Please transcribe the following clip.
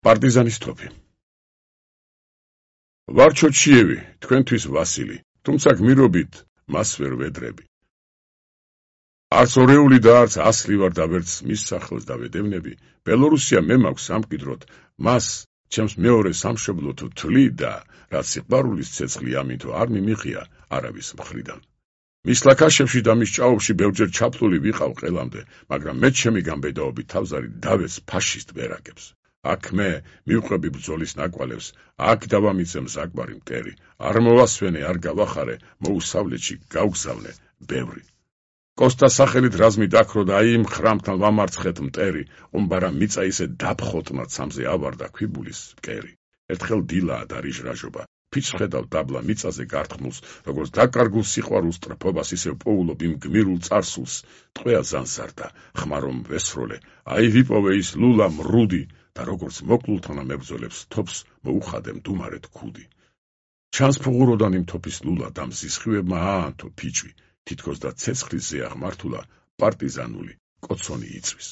პარტიზანის თოფი. ვარ ჩოჩიევი, თქვენთვის ვასილი, თუმცა გმირობით მას ვერ ვედრები. არც ორეული და არც ასლი ვარ და ვერც მის სახელს დავედევნები, ბელორუსია მე მაქვს სამკვიდროდ, მას ჩემს მეორე სამშობლოდ ვთვლი და რაც სიყვარულის ცეცხლი ამითო არ მიმიღია არავის მხრიდან. მის ლაქაშებში და მის ჭაობში ბევრჯერ ჩაფლული ვიყავ ყელამდე, მაგრამ მე ჩემი გამბედაობით თავზარი დავეც ფაშისტ ბერაკებს. აქ მე მივყვები ბრძოლის ნაკვალევს, აქ დავამიცე მზაკვარი მტერი, არ მოვასვენე, არ გავახარე, მოუსავლეთში გავგზავნე ბევრი. კოსტა სახელით რაზმი დაქრო და აი იმ ხრამთან ვამარცხეთ მტერი, ყუმბარა მიწა ისე დაფხოტმა ცამზე ავარდა ქვიბულის მკერი. ერთხელ დილაა და რიჟრაჟობა, ფიჭს ხედავ დაბლა მიწაზე გარტყმულს, როგორც დაკარგულ სიყვარულს ტრფობას ისევ პოულობ იმ გმირულ წარსულს, ტყვეა ზანსარდა, ხმარომ ვესროლე, აი ვიპოვე ის ლულა მრუდი და როგორც მოკლულთანა მებრძოლებს თოფს მოუხადე მდუმარეთ ქუდი. ჩანს ფუღუროდან იმ თოფის ლულა და მზისხივებმა აანთო ფიჭვი, თითქოს და ცეცხლის ზეა ღმართულა პარტიზანული კოცონი იწვის.